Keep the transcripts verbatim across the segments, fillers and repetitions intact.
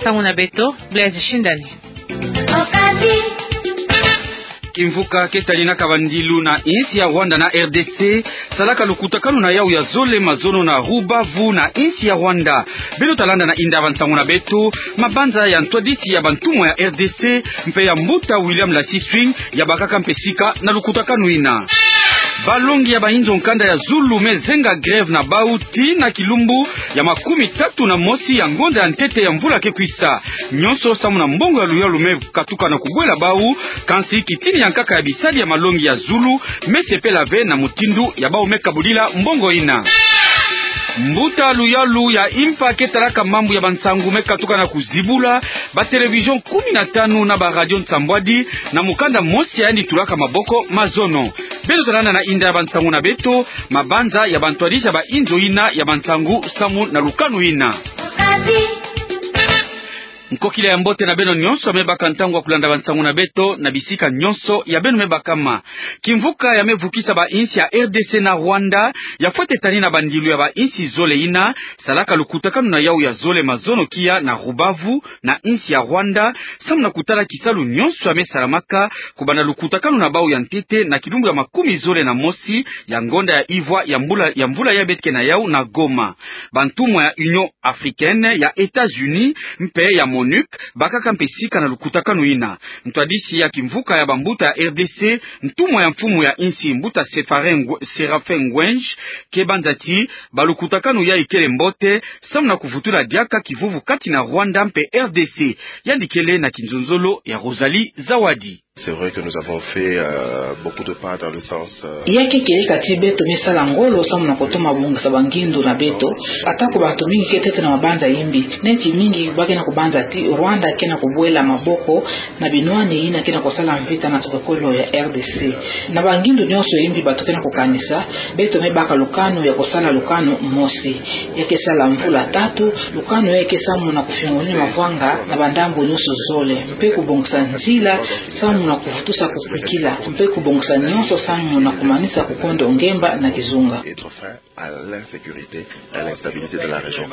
Nsangu na beto, Blaise Shindani. Kimvuka ke talinaka bandilu na insi ya Rwanda na R D C, salaka lukutakanu na yau ya zole mazono na Rubavu na insi ya Rwanda. Beno talanda na inda ya bansangu na beto, mabanza ya ntwadisi ya bantumwa ya R D C, mpe ya mbuta William Lasiswing, yabakaka mpe sika na lukutakanu ina. Balongi ya bainzo nkanda ya zulu me zenga grève na bau tii na kilumbu ya makumi tatu na mosi ya ngonda ya ntete ya mvula ke kwisa. Nyonso samu na mbongo ya luyalu me katuka na kubwela bau, kansi kitini ya nkaka ya bisali ya malongi ya zulu me sepela ve na mutindu ya bau me kabulila mbongo ina. Mbuta luyalu ya impa ke talaka mambu ya bansangu me katuka na kuzibula ba télévision kumi na tanu na ba radio nsambwadi na mukanda mosi ya yandi tulaka maboko mazono. Beno talanda na inda ya bansangu na beto, mabanza ya bantwadisi ya bainzo ina ya bansangu samu na lukanu ina. Nkokila ya mbote na beno nyonso ya me baka ntangu ya kulanda bansangu na beto na bisika nyonso ya beno me bakama. Kimvuka ya me vukisa bainsi ya R D C na Rwanda, ya fwete tanina bandilu ya bainsi zole ina, salaka lukutakanu na yau ya zole mazono kia na Rubavu, na insi ya Rwanda, samu na kutala kisalu nyonso ya me salamaka, kubanda lukutakanu na bau ya ntete na kilumbu ya makumi zole na mosi ya ngonda ya ivwa ya mvula, ya mvula ya beto ke na yau na Goma. Bantumwa ya Union Africaine, ya États-Unis, mpe ya MONUC, bakaka mpe sika na lukutakanu ina. Ntwadisi ya kimvuka ya bambuta ya R D C, ntumwa ya mfumu ya insi mbuta Sefare Ngwe-, Séraphin Ngwenj, ke banza ti, balukutakanu yai kele mbote, samu na kuvutula diaka kivuvu kati na Rwanda mpe R D C. Yandi kele na kinzonzolo ya Rosalie Zawadi. C'est vrai que nous avons fait, euh, beaucoup de pas dans le sens, euh, Ya ke kieleka ti beto me sala ngolo samu na kutoma bongisa bangindu na beto, atako bantu mingi ke tete na mabanza yimbi. Neti mingi ba ke na kubanza ti Rwanda ke na kubwela maboko na binwani yina ke na kusala mvita na tokokolo ya R D C. Na bangindu nyonso yimbi bato ke na kukanisa, beto me baka lukanu ya kusala lukanu mosi. Ya ke sala mvula tatu, lukanu ya ke samu na kufiongonia mavwanga na bandambu nyonso zole, mpe kubongisa nzila samu na kuvutusa kukwikila, mpe kubongisa nyonso samu na kumanisa kukondo ngemba na kizunga. Mettre fin à l'insécurité, à l'instabilité de la région.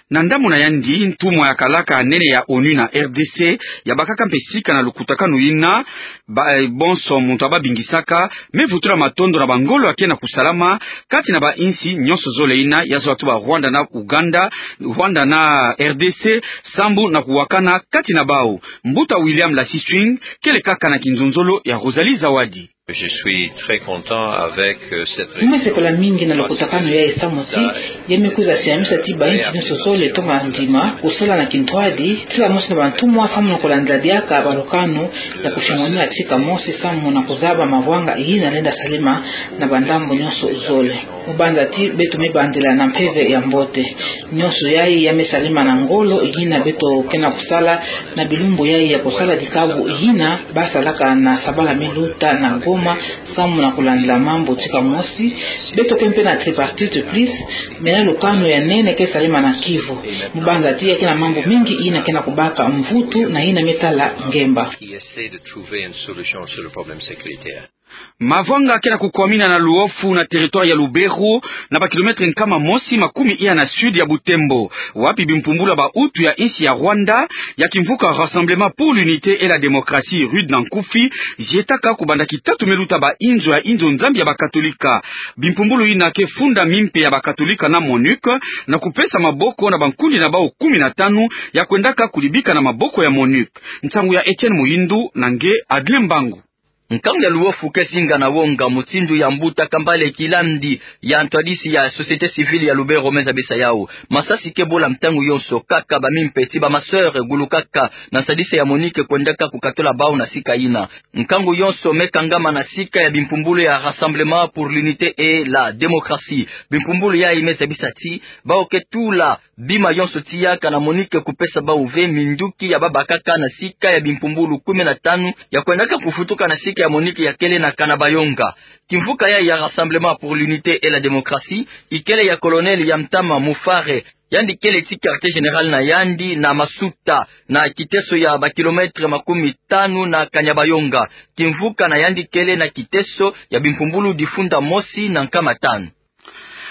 Na ndambu na yandi, ntumwa ya kalaka nene ya ONU na R D C, ya bakaka mpe sika na lukutakanu ina, ba, eh, bonso muntu ababingisaka, me vutula matondo na bangolo ya ke na kusalama, kati na bainsi nyonso zole ina, ya zola tuba Rwanda na Uganda, Rwanda na R D C, sambu na kuwakana kati na bau. Mbuta William Lasiswing, kele kaka na kinzonzolo ya Rosalie Zawadi. Je suis très content avec, euh, cette réunion. Mu me sepela mingi na lukutakanu yai samu ti, ya me kwiza siamisa ti bainsi nyonso zole toma ndima, kusala na kintwadi, tika mosi na bantumwa samu na kulandila diaka balukanu, ya kufiongonia tika mosi samu na kuzaba mavwanga yina lenda salema na bandambu nyonso zole. Mu banza ti beto me bandila na mpeve ya mbote. Nyonso yai ya me salema na ngolo yina beto ke na kusala na bilumbu yai ya kusala dikabu yina ba salaka na sabala me luta na Goma samu na kulandila mambu tika mosi. Beto ke mpe na tripartite plus, me na lukanu ya nene ke salema na Kivu. Mu banza ti ya ke na mambu mingi yina ke na kubaka mvutu na yina me tala ngemba. Qui essaie de trouver une solution sur le problème sécuritaire. Mavwanga ke na kukwamina na Luofu na territoire ya Lubero, na ba kilomètre nkama mosi makumi iya na sud ya Butembo, wapi bimpumbulu ya ba Hutu ya insi ya Rwanda, ya kimvuka Rassemblement pour l'Unité et la Démocratie, RUD na nkufi, zietaka kubanda kitatu me luta ba inzo ya inzo Nzambi ya ba Katolika. Bimpumbulu yina ke funda mimpe ya ba Katolika na MONUC, na kupesa maboko na bankundi na bau kumi na tanu ya kwendaka kulibika na maboko ya MONUC. Nsangu ya Etienne Muhindu na nge Adrien Mbangu. Nkangu ya Luofu ke zinga na wonga, mutindu ya mbuta Kambale Kilandi, ya ntwadisi ya société civile ya Lubero, me zabisa yau. Masasi ke bula ntangu yonso, kaka ba mimpe ti ba ma sœur gulukaka na nsadisi ya MONUC kwendaka kukatula bau na sika yina. Nkangu yonso me kangama na sika ya bimpumbulu ya Rassemblement pour l'Unité et la Démocratie. Bimpumbulu yai me zabisa ti bau ke tula bima yonso tiaka na MONUC kupesa bau ve minduki ya babakaka na sika ya bimpumbulu kumi na tanu ya kwendaka kufutuka na sika ya MONUC ya kele na Kanyabayonga. Kimvuka yai ya Rassemblement pour l'Unité et la Démocratie ikele ya colonel ya ntama Mufare. Yandi kele ti quartier général na yandi na Masuta, na kiteso ya ba kilomètre makumi tanu na Kanyabayonga. Kimvuka na yandi kele na kiteso ya bimpumbulu difunda mosi na nkama tanu.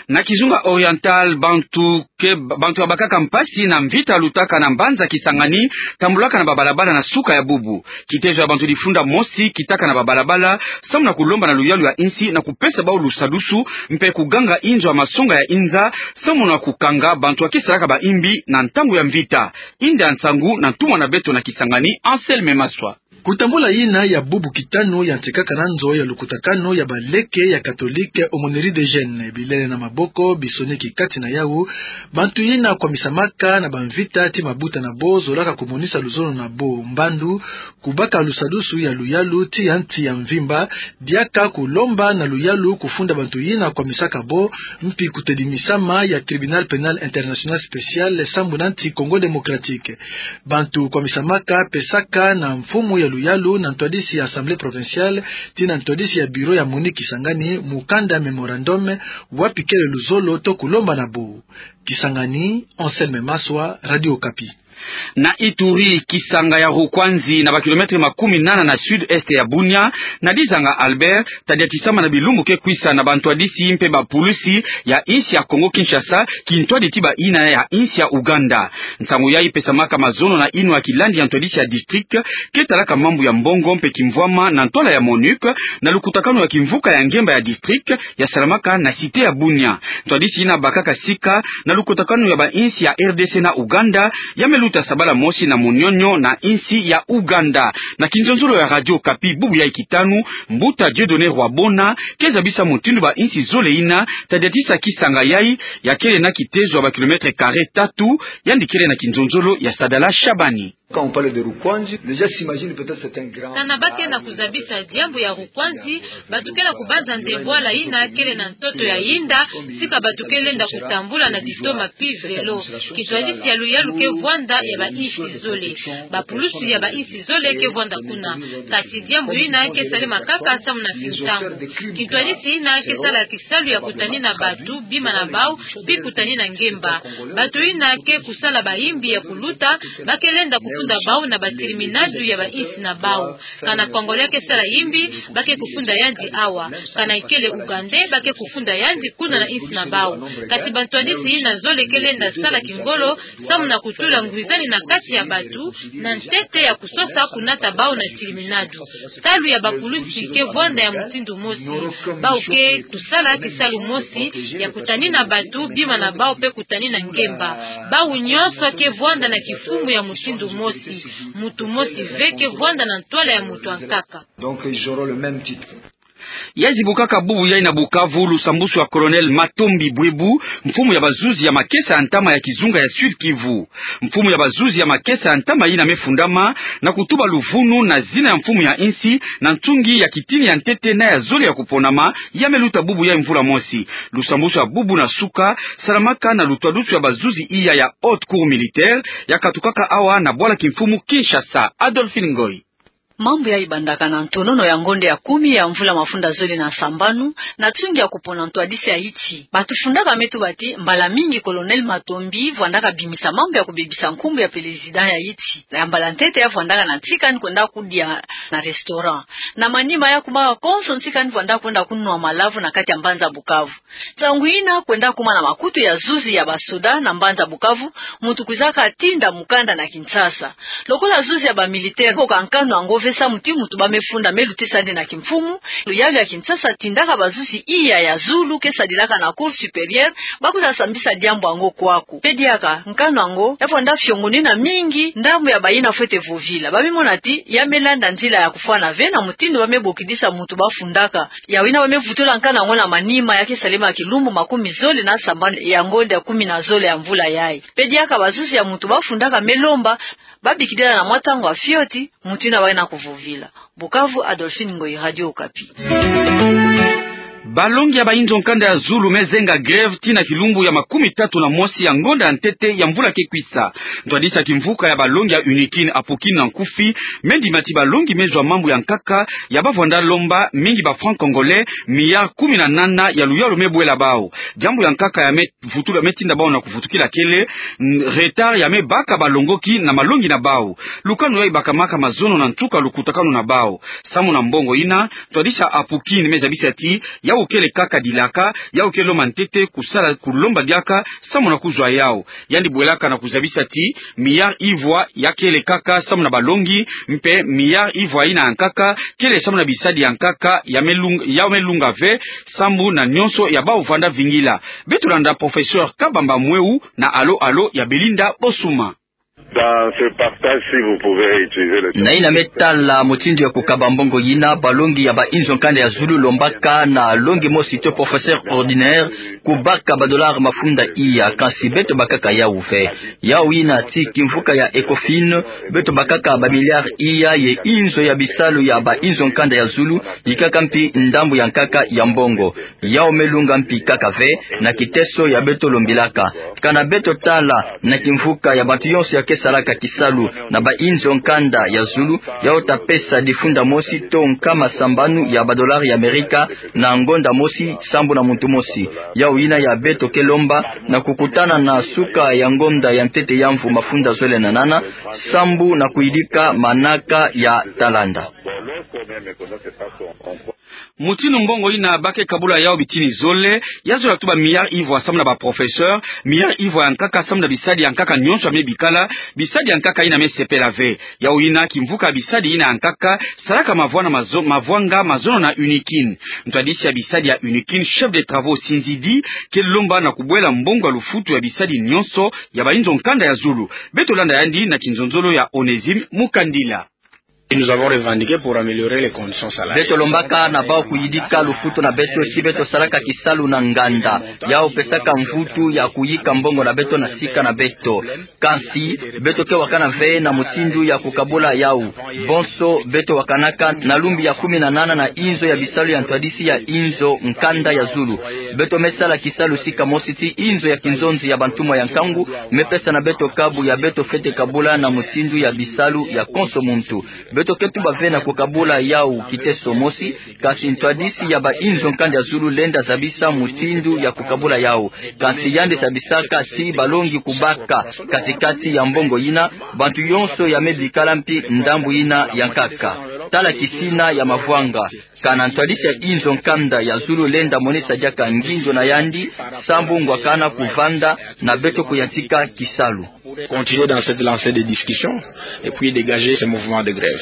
Na kizunga Oriental, bantu ke, bantu ya bakaka mpasi na mvita lutaka na mbanza Kisangani, tambulaka na babalabala na suka ya bubu. Kitezo ya bantu difunda mosi kitaka na babalabala, samu na kulomba na luyalu ya insi na kupesa bau lusadusu, mpe kuganga inzo ya masonga ya inza, samu na kukanga bantu ya ke salaka baimbi na ntangu ya mvita. Inda ya nsangu na ntumwa na beto na Kisangani, Anselme Maswa. Kutambula yina ya bubu kitanu ya nsekaka na nzo ya lukutakanu ya baleke ya Katolike Aumônerie des Jeunes, bilele na maboko, bisoneki kati na yau, bantu yina kwamisamaka na bamvita ti mabuta na bo zolaka kumonisa luzolo na bo, mbandu, kubaka lusadusu ya luyalu ti ya nsi ya mvimba, diaka kulomba na luyalu kufunda bantu yina kwamisaka bo, mpi kutedimisama ya Tribunal Pénal International Spécial sambu na nsi Congo Démocratique. Bantu kwamisamaka pesaka na mfumu ya luyalu na ntwadisi ya Assemblée Provinciale, ti na ntwadisi ya Bureau ya MONUC Kisangani, mukanda mémorandum, wapi kele luzolo to kulomba na bo. Kisangani, Anselme Maswa, Radio Okapi. Na Ituri, kisanga ya Rukwanzi, na bakilometre makumi nana na sud-est ya Bunia, na dizanga Albert, tadiatisama na bilumbu ke kwisa na bantwadisi mpe bapulusi ya insi ya Congo Kinshasa, kintwadi ti bayina ya insi ya Ouganda. Nsangu yai pesamaka mazono na inwa ya kilandi ya ntwadisi ya district ke talaka mambu ya mbongo mpe kimvwama na ntwala ya MONUC, na lukutakanu ya kimvuka ya ngemba ya district ya salamaka na cité ya Bunia. Ntwadisi yina bakaka sika na lukutakanu ya bainsi ya R D C na Ouganda, ya me luta sabala mosi na Munyonyo na insi ya Ouganda. Na kinzonzolo ya Radio Okapi bubu yai kitanu, mbuta Dieudonné Rwabona ke zabisa mutindu bainsi zole yina tadiatisa kisanga yai, ya kele na kitezo ya bakilometre carré tatu, yandi kele na kinzonzolo ya Sadala Shabani. Quand on parle de Rukwanzi, les gens s'imaginent peut-être c'est un grand... Kana ba ke na kuzabisa diambu ya Rukwanzi, bantu ke na kubanza nde bwala yina kele na ntoto ya yinda, sika bantu ke lenda kutambula na ditoma pi velo. Kintwadisi ya luyalu ke vwanda ya bainsi zole. Bapulusu ya bainsi zole ke vwanda kuna. Kasi diambu yina ke salema kaka samu na fintangu. Kintwadisi yina ke sala kisalu ya kutani na bantu bima na bau, pi kutani na ngemba. Bantu yina ke kusala bayimbi ya kuluta, ba ke lenda kufunda bau na batiliminadu ya bainsi na bau. Kana Congolais ke sala yimbi, ba ke kufunda yandi awa. Kana ikele Ougandais, ba ke kufunda yandi kuna na insi na bau. Kasi bantwadisi yina zole ke lenda sala kingolo, samu na kutula ngwizani na kati ya bantu, na ntete ya kusosa kunata bau na tiliminadu. Salu ya bapulusi ke vwanda ya mutindu mosi. Bau ke kusala kisalu mosi, ya kutani na bantu bima na bau mpe kutani na ngemba. Bau nyonso ke vwanda na kifumu ya mutindu mosi. Muntu mosi ve ke vwanda na ntwala ya muntu ankaka. Donc, ils auront le même titre. Ya zibukaka bubu yai na Bukavu lusambusu ya Colonel Matombi Bwebu, mfumu ya bazuzi ya makesa ya ntama ya kizunga ya Sud-Kivu. Mfumu ya bazuzi ya makesa ya ntama yina me fundama na kutuba luvunu na zina ya mfumu ya insi na ntungi ya kitini ya ntete na ya zole ya kuponama, ya me luta bubu yai mvula mosi. Lusambusu ya bubu na suka salamaka na lutwadusu ya bazuzi iya ya Haute Cour militaire, ya katukaka awa na bwala kimfumu Kinshasa. Adolphine Ngoy. Mambu yai bandaka na ntonono ya ngonda ya kumi ya mvula mafunda zole na sambanu, na ntungi ya kupona ntwadisi ya insi. Bantu fundaka me tuba ti, mbala mingi Colonel Matombi vwandaka bimisa mambu ya kubebisa nkumbu ya président ya insi. Ya mbala ntete ya vwandaka na nsi kani kwenda kudia na restaurant. Na manima ya kumaka konso nsi kani vwandaka kwenda kunwa malavu na kati ya mbanza Bukavu. Nsangu yina kwenda kuma na makutu ya zuzi ya basoda na mbanza Bukavu, muntu kwizaka tinda mukanda na Kinshasa. Lokola zuzi ya bamilitaire, boka nkanu yango ve samu ti muntu ba me funda me lutisa yandi na kimfumu, luyalu ya Kinshasa tindaka bazuzi iya ya zulu ke sadilaka na Cour supérieure, ba kwiza sambisa diambu yango kwaku. Mpe diaka, nkanu yango ya vwanda fiongonina mingi, ndambu ya bayina fwete vovila. Ba me mona ti, ya me landa nzila ya kufwana ve na mutindu ba me bokidisa muntu ba fundaka. Yawu yina ba me vutula nkanu yango na manima ya ke salema kilumbu makumi zole na sambanu ya ngonda ya kumi na zole ya mvula yai. Mpe diaka bazuzi ya muntu ba fundaka me lomba, ba bikidila na mwa ntangu ya fioti, muntu yina ba ke na kuvovila. Bukavu, Adolphine Ngoyi, Radio Okapi. Balongi ya bayinzo nkanda ya zulu me zenga grève tii na kilumbu ya makumi tatu na mosi ya ngonda ya ntete ya mvula ke kwisa. Ntwadisi ya kimvuka ya balongi ya UNIKIN, Apoukin na nkufi, me ndima ti balongi me zwa mambu ya nkaka ya ba vwanda lomba, mingi ba francs congolais, milliards kumi na nana ya luyalu me bwela bau. Diambu ya nkaka ya me vutula me tinda bau na kuvutukila kele, n-, retard ya me baka balongoki na malongi na bau. Lukanu yai bakamaka mazono na nsuka lukutakanu na bau. Samu na mbongo yina, ntwadisi ya Apoukin me zabisa ti, ya Yau kele kaka dilaka, yau ke lomba ntete kusala, kulomba diaka sambu na kuzwa yau. Yandi bwelaka na kuzabisa ti milliard ivwa ya kele kaka sambu na balongi, mpe milliard ivwa ina ya nkaka kele sambu na bisadi ya nkaka ya me lung-, ya me lunga ve, sambu na nyonso ya bau vanda vingila. Beto landa professeur Kabamba Mweu na alo-alo ya Belinda Bosuma. Dans ce partage, si vous pouvez utiliser le terme. Na ina me tala mutindu ya kukaba mbongo yina, balongi ya ba inzo nkanda ya zulu lombaka na longi mosi to professeur ordinaire kubaka ba dollars mafunda iya, kansi beto bakaka yau ve. Yau yina ti kimvuka ya Ecofin, beto bakaka ba milliards iya ye inzo ya bisalu ya ba inzo nkanda ya zulu, yikaka mpi ndambu ya nkaka ya mbongo. Yau me lunga mpi kaka ve na kiteso ya beto lombilaka. Kana beto tala na kimvuka ya bantu yonso ya ke salaka kisalu na ba inzo nkanda ya zulu, yau ta pesa difunda mosi to nkama sambanu ya ba dollars ya Amerika na ngonda mosi sambu na muntu mosi. Yau yina ya beto ke lomba na kukutana na suka ya ngonda ya ntete ya mvu mafunda zole na nana, sambu na kuyidika manaka ya talanda. Mutindu mbongo yina ba ke kabula yau bitini zole, ya zola tuba milliards ivwa sambu na ba professeurs, milliards ivwa ya nkaka sambu na bisadi ya nkaka nyonso ya me bikala, bisadi ya nkaka yina me sepela ve. Yau yina kimvuka bisadi yina ya nkaka salaka mavwanga mazo-, mavwanga mazono na UNIKIN. Ntwadisi ya bisadi ya UNIKIN, chef de travaux Sinzidi, ke lomba na kubwela mbongo ya lufutu ya bisadi nyonso ya ba inzo nkanda ya zulu. Beto landa yandi na kinzonzolo ya Onésime Mukandila. Et nous avons revendiqué pour améliorer les conditions salariales. Beto lombaka na bau kuyidika lufutu na beto si beto salaka kisalu na nganda. Yau pesaka mvutu ya kuyika mbongo na beto na sika na beto. Kansi, beto ke wakana ve na mutindu ya kukabula yau. Bonso, beto wakanaka na lumbu ya kumi na nana na inzo ya bisalu ya ntwadisi ya inzo nkanda ya zulu. Beto me sala kisalu sika mosi ti inzo ya kinzonzi ya bantumwa ya nkangu me pesa na beto kabu ya beto fwete kabula na mutindu ya bisalu ya konso muntu. Beto ke tuba ve na kukabula yau kiteso mosi, kansi ntwadisi ya ba inzo nkanda ya zulu lenda zabisa mutindu ya kukabula yau. Kansi yandi zabisaka ti balongi kubaka kati-kati ya mbongo yina, bantu yonso ya me bikala mpi ndambu yina ya nkaka. Tala kisina ya mavwanga. Kana ntwadisi ya inzo nkanda ya zulu lenda monisa diaka nginzo na yandi, sambu ngwakana kuvanda na beto kuyantika kisalu. Continuer dans cette lancée de discussion et puis dégager ce mouvement de grève.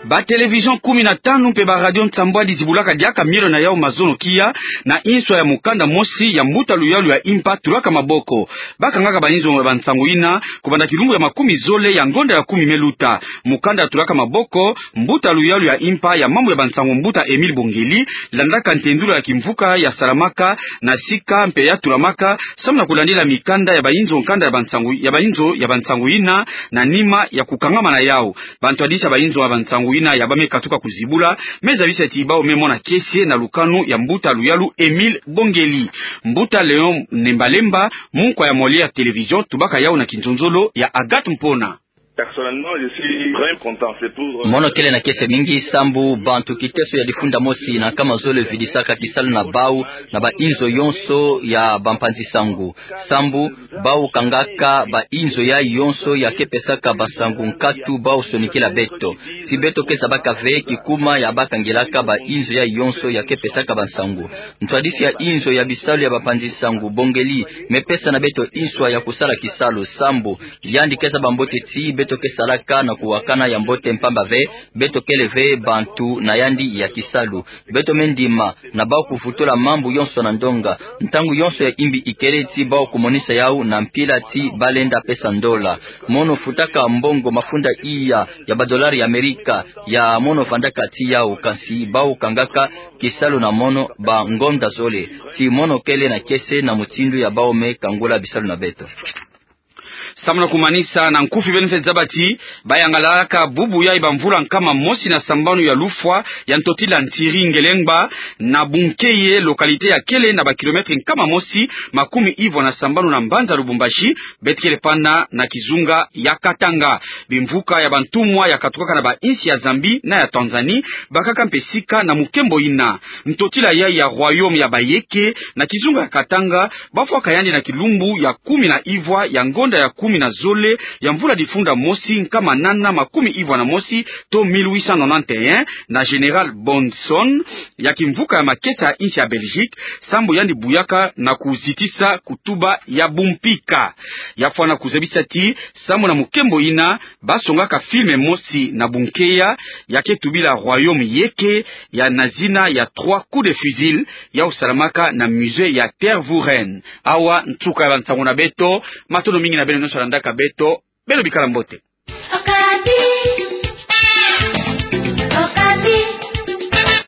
Ba télévision kumi na tanu mpe ba radio nsambwadi zibulaka diaka mielo na yau mazono kia na inswa ya mukanda mosi ya mbuta luyalu ya impa Tulaka Maboko. Ba kangaka ba inzo ya bansangu yina kubanda kilumbu ya makumi zole ya ngonda ya kumi me luta. Mukanda ya Tulaka Maboko, mbuta luyalu ya impa ya mambu ya bansangu mbuta Émile Bongeli, landaka ntendula ya kimvuka ya salamaka na sika mpe ya tulamaka, samu na kulandila mikanda ya ba inzo nkanda ya bansangu, ya ba inzo ya bansangu yina, na nima ya kukangama na yau. Bantwadisi ya ba inzo ya bansangu yina ya ba me katuka kuzibula, me zabisa ti bau me mona kiese na lukanu ya mbuta luyalu Émile Bongeli. Mbuta Léon Nembalemba, munkwa ya Molière Télévision, tubaka yau na kinzonzolo ya Agathe Mpona. Personnellement, je suis vraiment content. C'est pour, euh, Mono kele na kiese mingi sambu bantu kiteso ya difunda mosi na nkama zole vidisaka kisalu na bau na ba inzo yonso ya bampanzi sangu. Sambu bau kangaka ba inzo yai yonso ya ke pesaka bansangu nkatu bau sonikila beto. Si beto ke zabaka ve kikuma ya ba kangilaka ba inzo yai yonso ya ke pesaka bansangu. Ntwadisi ya inzo ya bisalu ya bampanzi sangu Bongeli me pesa na beto inswa ya kusala kisalu sambu yandi ke zaba mbote ti beto ke salaka na kuwakana ya mbote mpamba ve, beto kele ve bantu na yandi ya kisalu. Beto me ndima na bau kuvutula mambu yonso na ndonga. Ntangu yonso ya imbi ikele ti bau kumonisa yau na mpila ti ba lenda pesa ndola. Mono futaka mbongo mafunda iya ya ba dollars ya Amerika ya mono vandaka ti yau, kansi bau kangaka kisalu na mono ba ngonda zole. Ti mono kele na kiese na mutindu ya bau me kangula bisalu na beto. Samu na kumanisa, na nkufi beno fwete zaba ti ba yangalalaka bubu yai ba mvula nkama mosi na sambanu ya lufwa ya ntotila Ntiri Ngelengba na Bunkeye, localité ya kele na ba kilomètre nkama mosi makumi ivwa na sambanu na mbanza Lubumbashi, beto kele pana na kizunga ya Katanga. Bimvuka ya bantumwa ya katukaka na ba insi ya Zambie na ya Tanzanie bakaka mpe sika na mukembo yina. Ntotila yai ya Royaume ya Bayeke na kizunga ya Katanga bafwaka yandi na kilumbu ya kumi na ivwa ya ngonda ya kumi na zole ya mvula difunda mosi nkama nana makumi ivwa na mosi, to mille huit cent nonante et un, na Général Bonson, ya kimvuka ya makesa ya insi ya Belgique, sambu yandi buyaka na kuzitisa kutuba ya bumpika. Ya fwana kuzabisa ti, sambu na mukembo ina, ba songaka film mosi na bunkeya, ya ke tubila Royaume yeke, ya na zina ya Trois coups de fusil, ya usalamaka na musée ya Tervuren. Awa nsuka ya bansango na beto, matondo mingi na beno nyonso landaka beto, beno bikala mbote.